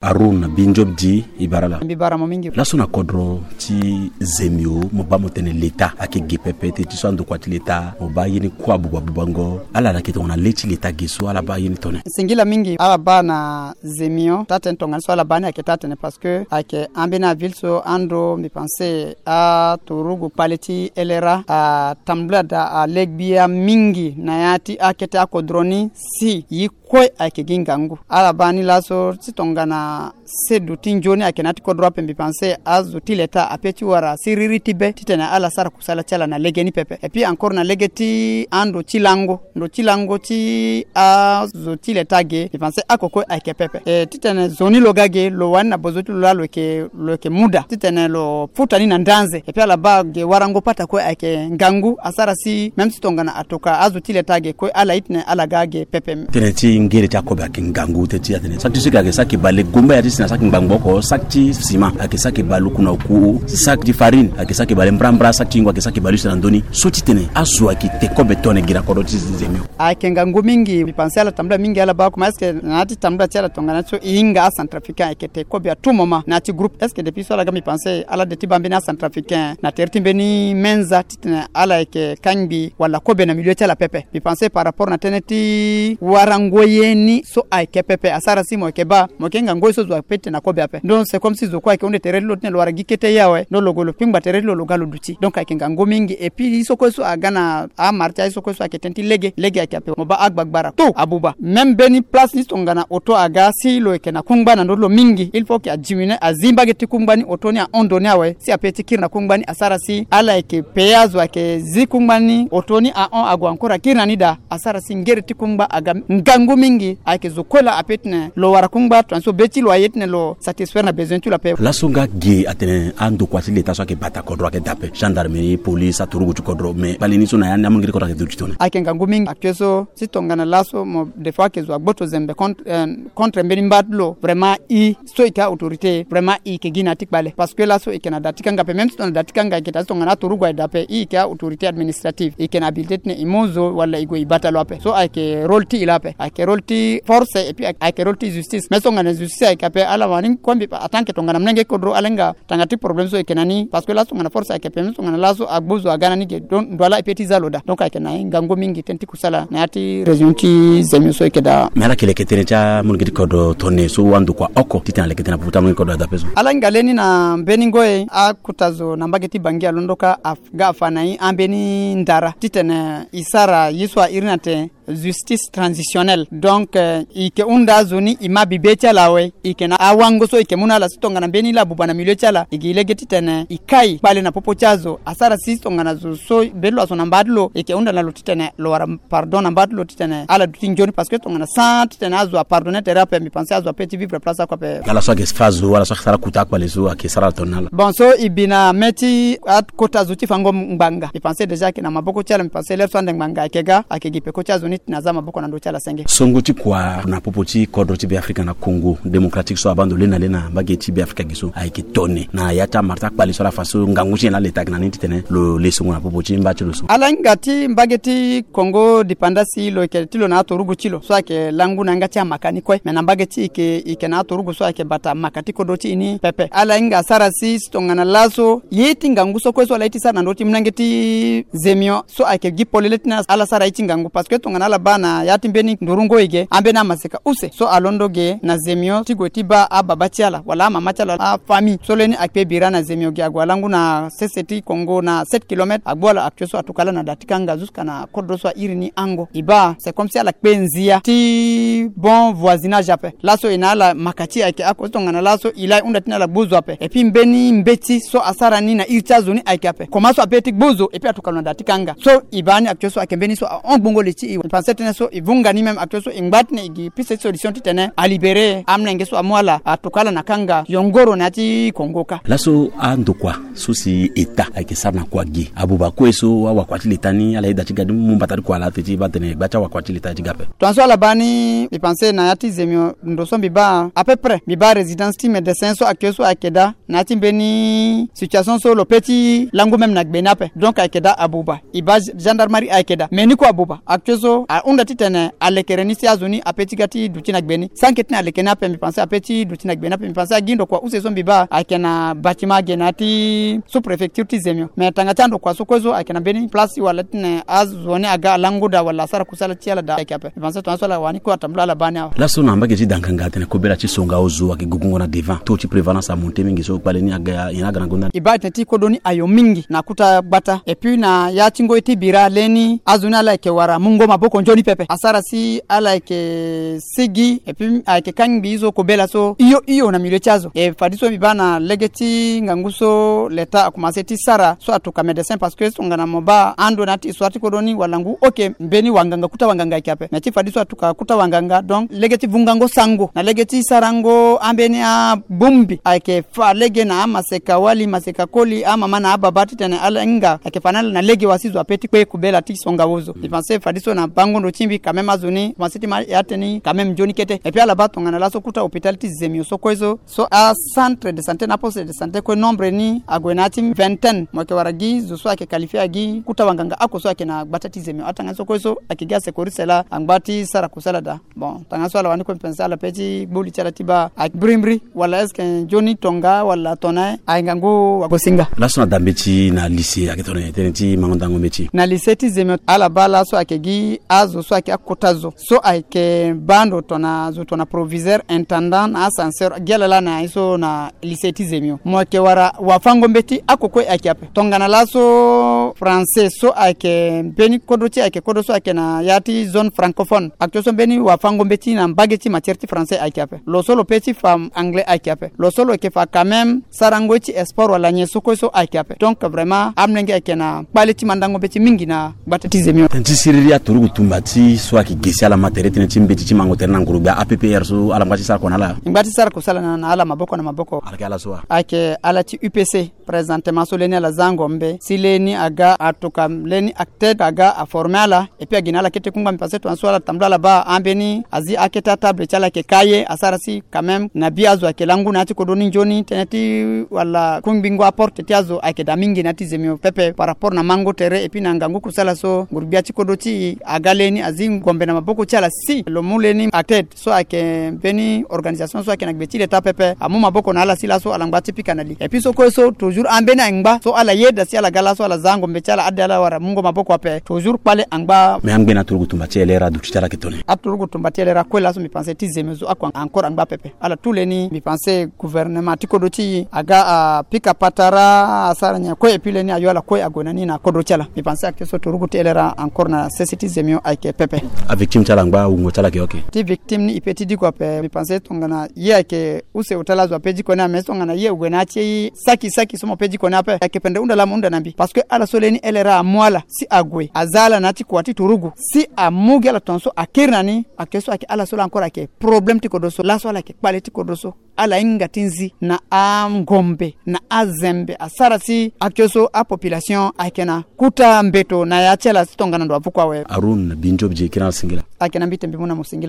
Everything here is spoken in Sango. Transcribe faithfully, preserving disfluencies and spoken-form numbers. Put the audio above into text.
Haroun Binjob di, e bara ala. Mbi bara mo mingi. Laso na kodro ti Zemio, mo baa mo tene leta ayeke ge pepe, teti so andokua ti leta mo baa ye ni kue abuba bubango. Ala na yeke tongana le ti leta ge so ala baa ye ni tone. Singila mingi ala baa na Zemio, taa-tënë tongana so ala baa ni ayeke taa-tënë parce que ayeke ambeni aville so ando mbi pense aturugu kpale ti L R A atambula daa alegbia mingi na ya ti akete akodro ni si ye kue ayeke gi ngangu. Ala baa ni laso ti tongana sedu ti nzoni ayeke na ya ti kodro ape, mbi pense azo ti leta ape ti wara siriri ti be titene ala sara kusala ti ala na lege ni pepe. Et puis encore na lege ti ando ti lango, ndo ti lango ti azo ti leta ge, mbi pense oko kue ayeke pepe. E titene zo ni lo ga ge lo wani na bozo ti lo laa lo yeke, lo yeke mu daa titene lo futa ni na ndanze. Et puis ala baa ge warango pata kue ayeke ngangu asara si même si tongana atoka azo ti leta ge kue ala itene ala ga ge pepe. Tënë ti ngere ti akobe ayeke ngangu teti atene saki ti so yeke ayeke saki bale gomba ya ti si na saki ngbangbo oko, saki ti sima ayeke saki bale oku na oku, saki ti farine ayeke saki bale mbrambra, saki ti yingo ayeke saki bale use na ndö ni. So titene azo ayeke te kobe tone gi na kodro ti Zemio. Ayeke ngangu mingi, mbi pense ala tambula mingi ala baa koma est-ce que na ya ti tambula ti ala tongana so e hinga acentrafricain ayeke te kobe à tout moment na ya ti groupe. Est-ce que depuis so ala ga mbi pense ala de ti baa mbeni acentrafricain na tere ti mbeni menza titene ala yeke kangbi wala kobe na milieu ti ala pepe. Mbi pense par rapport na tënë ti warango ye ni so ayeke pepe asara si mo yeke baa mo yeke hinga ngoi so zo ape titene akobe ape. Donc c'est comme si zo kue ayeke hunda tere ti lo titene lo wara gi kete ye awe, donc lo gue lo kpingba tere ti lo lo ga lo duti. Donc ayeke ngangu mingi. Et puis ye so kue so aga na amara ti aye so kue so ayeke tënë ti lege, lege ayeke ape. Mo baa agbagbara tout abuba. Même mbeni place ni tongana auto aga si lo yeke na kungba na ndö ti lo mingi, il faut que adiminue, azi mbage ti kungba ni, auto ni ahon ndo ni awe si ape ti kiri na kungba ni asara si ala yeke payé azo ayeke zi kungba ni, auto ni ahon ague encore akiri na ni daa. Asara si ngere ti kungba aga ngangu mingi. Ayeke zo kue laa ape titene lo wara kungba tongana so be ti lo aye titene lo satisfaire na besoin ti lo ape. Laso nga ge atene andokua ti leta so ayeke bata kodro ayeke daa ape, gendarmerie, police, aturugu ti kodro, mais kpale ni so na ya ni amolenge ti kodro ayeke duti tone. Ayeke ngangu mingi actuel so ti tongana laso mo des fois ayeke zo agboto zembe contre, euh, contre mbeni mba ti lo. Vraiment i so e yeke autorité, vraiment e yeke gi na ya ti kpale parce que laso e yeke na da ti kanga ape. Même si tongana da ti kanga e yeke daa, si tongana aturugu aye daa ape, e yeke autorité administrative, e yeke na habilité titene e mu zo wala e gue e bata lo ape. So ayeke rôle ti e laa ape, ayeke rôle ti force et puis ayeke rôle ti justice. Mais so tongana justice ayeke ape ala wani kue mbi en tant que tongana molenge ti kodro ala hinga tanga ti problème so e yeke na ni parce que laso tongana force ayeke ape, même so tongana laso agbu zo aga na ni ge, donc ndo ala e pe ti za lo daa. Donc ayeke na ye ngangu mingi tënë ti kusala na ya ti région ti Zemio so e yeke daa. Mais ala yeke leke tënë ti amolenge ti kodro tone so andokua oko titene aleke tënë na popo ti amolenge ti kodro adape so. Ala hinga leni na mbeni ngoi akota zo na mbage ti Bangui alondo ka aga afa na e ambeni ndara titene e sara ye so a iri ni atene justice transitionnelle. Donc, euh, e yeke hunda azo ni e ma bibe ti ala awe. E yeke na awango so e yeke mu na ala si tongana mbeni laa abuba na milieu ti ala, e gi lege titene e kai kpale na popo ti azo. Asara si tongana zo so be ti lo azo na mba ti lo, e yeke hunda na lo titene lo wara pardon na mba ti lo titene ala duti nzoni parce que tongana sans titene azo apardonner tere ape, mbi pense azo ape ti vivre place oko ape. Ala so ayeke fa zo, ala so ayeke sara kota akpale so ayeke sara ala tongana ala. Bon, so e bi na mê ti akota zo ti fango ngbanga, mbi pense déjà ayeke na maboko ti ala, mbi pense l'heure so ande ngbanga ayeke ga ayeke gi peko ti azo ni titene aza maboko na ndö ti ala senge. Songo ti kua na popo ti kodro ti Beafrika na Congo Démocratique so abaa ndo le na le na mbage ti Beafrika ge so ayeke tone na ya ti amara ti akpale so ala fa so ngangu ti nyen laa leta ayeke na ni titene lo le songo na popo ti mba ti lo so. Ala hinga ti mbage ti Congo dépendance lo yeke ti lo na aturugu ti lo so ayeke langu na yanga ti amaka ni kue. Me na mbage ti e yeke, e yeke na aturugu so ayeke bata maka ti kodro ti e ni pepe. Ala hinga asara si si tongana laso ye ti ngangu so kue so ala ye ti sara na ndö ti molenge ti Zemio so ayeke gi polele titene ala sara ye ti ngangu parce que tongana ala baa na ya ti mbeni nduru ngoi ge, ambeni amaseka use so alondo ge na Zemio ti gue ti baa ababa ti ala wala amama ti ala, afamille so leni akpe bira na Zemio ge ague alangu na sese ti Congo na sept kilomètres, agbu ala actuel so atuka ala na da ti kanga jusqu'à na kodro so a iri ni Ango. E baa c'est comme si ala kpe nzia ti bon voisinage ape. Laso e na ala maka ti e ayeke oko, tongana laso e laa e hunda titene ala gbu zo ape. Et puis mbeni mbeti so asara ni na iri ti azo ni ayeke ape. Comment so ape ti gbu zo et puis atuka lo na da ti kanga. So e baa ni actuel so ayeke mbeni so ahon gbongo li ti e. E pense tënë so e vunga ni même actuel so e ngba titene e gi piste ti solution titene alibéré amolenge so amu ala, atuka ala na kanga yongoro na ya ti Congo kâ. Laso andokua so si État ayeke sara na kua ge, abuba kue so awakua ti leta ni ala yeda ti ga ni mu mbata ti kua laa teti e baa tene gba ti awakua ti leta ti ga ape. Tongaso ala baa ni, mbi pense na ya ti Zemio ndo so mbi baa à peu près, mbi baa résidence ti médecin so actuel so ayeke daa na ya ti mbeni situation so lo pe ti langu même na gbe ni ape. Donc ayeke daa abuba. E baa gendarmerie ayeke daa, mais ni kue abuba actuel so Ahunda titene alekere ni si azo ni ape ti ga ti duti na gbe ni. Sanke titene aleke ni ape, mbi pense ape ti duti na gbe ni ape. Mbi pense agi ndokua use so mbi baa ayeke na bâtiment age na ya ti sous préfecture ti Zemio. Mais tanga ti andokua so kue so ayeke na mbeni place wala titene azo ni aga alango daa wala asara kusala ti ala daa ayeke ape. Mbi pense tongaso ala wani kue atambula ala baa ni awe. Laso na mbage ti danganga atene kobela ti songa ozo ayeke gugungo na devant. Taux ti prévalence amonte mingi so kpale ni aga, nyen aga na gonda ni? E baa tene ti kodro ni ayo mingi na kuta gbata. Et puis na ya ti ngoi ti bira leni azo ni ala yeke wara mungo maboko nzoni pepe. Asara si ala yeke sigi, et puis ayeke kangbi so kobela so hio hio na milieu ti azo. E fadeso mbi baa na lege ti ngangu so l'État akomanse ti sara so atuka médecin, parce que tongana mo baa ando na ya ti histoire ti kodro ni wala ngu oke mbeni wanganga, kuta wanganga ayeke ape. Mais ti fadeso atuka kuta wanganga, donc lege ti vungango sango na lege ti sarango ambeni abongbi ayeke fa lege na amaseka wali, maseka koli, amama na ababa titene ala hinga ayeke fa na ala na lege wa si zo ape ti kpe kobela ti songa ozo. Mbi pense fadeso na bango ndo ti mbi quand même azo ni komanse ti ma ya tënë ni quand même nzoni kete. Et puis ala baa tongana laso kuta hôpital ti Zemio so kue so, so acentre de santé na aposte de santé kue nombre ni ague na ya ti vingtaine. Mo yeke wara gi zo so ayeke qualifié agi kuta wanganga oko so ayeke na gbata ti Zemio. Atanga ni so kue so ayeke gi asecouriste laa angba ti sara kusala daa. Bon, tanga so ala wani kue mbi pense ala pe ti gbu li ti ala ti baa ayeke mbirimbiri wala est-ce que nzoni tonga wala tongana aye ngangu wagosinga. Laso na dambe ti na lycée ayeke tongana nyen tënë ti mango ndango mbeti? Na lycée ti Zemio ala baa laso ayeke gi azo so ayeke akota zo so ayeke baa ndo tongana zo tongana proviseur, intendant na ascenseur gi ala laa na ye so na lycée ti Zemio. Mo yeke wara wafango mbeti oko kue ayeke ape. Tongana laso français so ayeke mbeni kodro ti ayeke kodro so ayeke na ya ti zone francophone. Actuel so mbeni wafango mbeti na mbage ti matière ti français ayeke ape. Lo so lo pe ti fa anglais ayeke ape. Lo so lo yeke fa quand même sarango ti sport wala nyen so kue so ayeke ape. Donc vraiment amolenge ayeke na kpale ti mandango mbeti mingi na gbata ti Zemio. Tënë ti siriri aturugu tumba ti so ayeke ge si ala ma tere tënë ti mbeti ti mango tere na nguru gbia A P P R so ala ngba ti sara kua na ala? E ngba ti sara kusala na ala maboko na maboko. Ala yeke ala so wa? Ayeke ala ti U P C. Présentement so leni ala za ngombe si leni aga atuka leni acted aga aforme ala. Et puis agi na ala kete kungba mbi pense tongaso ala tambula ala baa ambeni azi akete atable ti ala ayeke ka ye asara si quand même na bi azo ayeke langu na ya ti kodro ni nzoni tënë ti wala kungbingo aporte ti azo ayeke daa mingi na ya ti Zemio pepe par rapport na mango tere et puis na ngangu kusala so nguru gbia ti kodro ti e aga leni azi ngombe na maboko ti ala si lo mu leni acted so ayeke mbeni organisation so ayeke na gbe ti leta pepe amu maboko na ala si laso ala ngba ti pika na li. Et puis so kue so toujours ambeni angba so ala yeda si ala ga laso ala za ngombe ti ala ade ala wara mungo maboko ape toujours kpale angba. Mais angbe na aturugu tumba ti elera aduti ti ala ayeke tongana nyen? Aturugu tumba ti elera kue laso mbi pense ti Zemio zo oko encore angba pepe. Ala tout leni mbi pense gouvernement ti kodro ti e aga apika patara asara nyen kue et puis leni ayo ala kue ague na ni na kodro ti ala. Mbi pense ayeke so turugu ti elera encore na sese ti Zemio ayeke pepe. Avictime ti ala angba wungo ti ala ayeke oke? Ti victime ni e pe ti diko ape mbi pense tongana ye ayeke use ota la zo ape diko ni ame tongana ye ague na ya ti saki saki so mo pe diko ni ape ayeke pendre hunda laa mo hunda na mbi parce que ala so leni elera amu ala si ague aza ala na ya ti kua ti turugu si amu gi ala tongaso akiri na ni. Ayeke so ayeke ala so laa encore ayeke problème ti kodro so laso ala yeke kpale ti kodro so. Ala hinga ti nzi na angombe na azembe asara si ayeke so apopulation ayeke na kuta mbeto na ya ti ala si tongana ndo avuku awe. Arun Binjob je kiri na ala singila. Ayeke na mbi te mbi mu na mo singila.